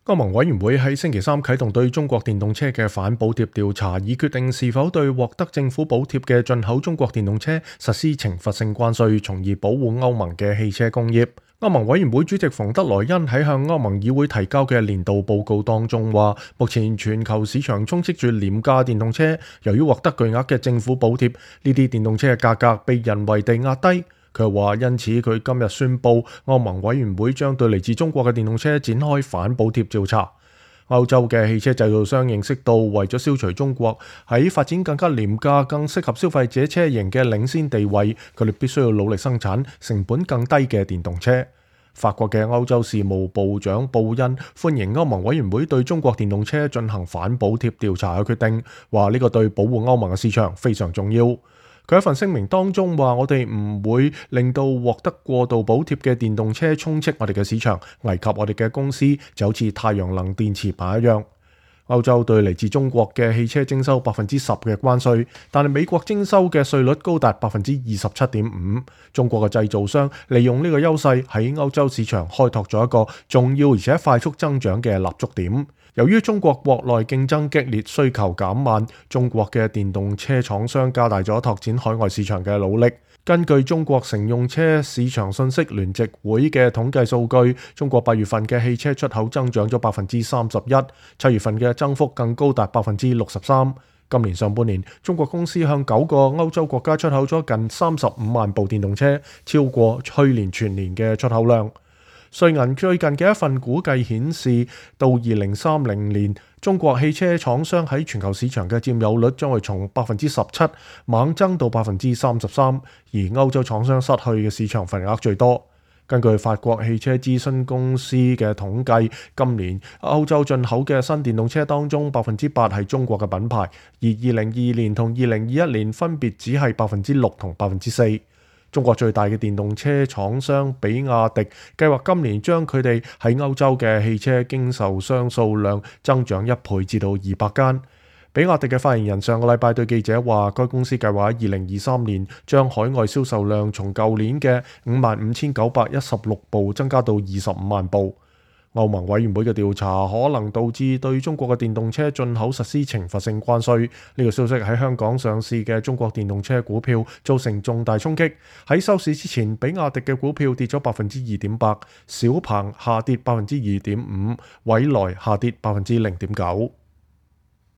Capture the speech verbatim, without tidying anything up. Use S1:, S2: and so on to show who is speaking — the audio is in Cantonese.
S1: 歐盟委員會喺星期三啟動對中國電動車嘅反補貼調查，以決定是否對獲得政府補貼嘅進口中國電動車實施懲罰性關稅，從而保護歐盟嘅汽車工業。歐盟委員會主席馮德萊恩喺向歐盟議會提交嘅年度報告當中話，目前全球市場充斥住廉價電動車，由於獲得巨額嘅政府補貼，呢啲電動車嘅價格被人為地壓低。佢話因此佢今日宣布，歐盟委員會將對嚟自中國嘅電動車展開反補貼調查。歐洲嘅汽車製造商認識到，為咗消除中國喺發展更加廉價、更適合消費者車型嘅領先地位，佢哋必須要努力生產成本更低嘅電動車。法國嘅歐洲事務部長布恩歡迎歐盟委員會對中國電動車進行反補貼調查嘅決定，話呢個對保護歐盟嘅市場非常重要。佢喺份聲明當中話：我哋唔會令到獲得過度補貼嘅電動車充斥我哋嘅市場，危及我哋嘅公司，就好似太陽能電池板一樣。歐洲對嚟自中國嘅汽車徵收百分之十嘅關稅，但係美國徵收嘅稅率高達百分之二十七點五。中國嘅製造商利用呢個優勢喺歐洲市場開拓咗一個重要而且快速增長嘅立足點。由於中國國內競爭激烈，需求減慢，中國嘅電動車廠商加大咗拓展海外市場嘅努力。根據中國乘用車市場信息聯席會嘅統計數據，中國八月份嘅汽車出口增長咗百分之三十一，七月份嘅增幅更高達百分之六十三。今年上半年，中國公司向九個歐洲國家出口咗近三十五萬部電動車，超過去年全年嘅出口量。瑞銀最近嘅一份估計顯示，到二零三零年，中國汽車廠商喺全球市場嘅佔有率將會從百分之十七猛增到百分之三十三，而歐洲廠商失去嘅市場份額最多。根據法國汽車諮詢公司嘅統計，今年歐洲進口嘅新電動車當中，百分之八係中國嘅品牌，而二零二二年同二零二一年分別只係百分之六同百分之四。中國最大嘅電動車廠商比亞迪計劃今年將佢哋喺歐洲嘅汽車經售商數量增長一倍至到二百間。比亞迪嘅發言人上個禮拜對記者話，該公司計劃喺二零二三年將海外銷售量從舊年嘅五萬五千九百一十六部增加到二十五萬部。歐盟委員會嘅調查可能導致對中國嘅電動車進口實施懲罰性關稅。呢個消息喺香港上市嘅中國電動車股票造成重大衝擊。喺收市之前，比亞迪嘅股票跌咗百分之二點八，小鵬下跌百分之二點五，蔚來下跌百分之零點九。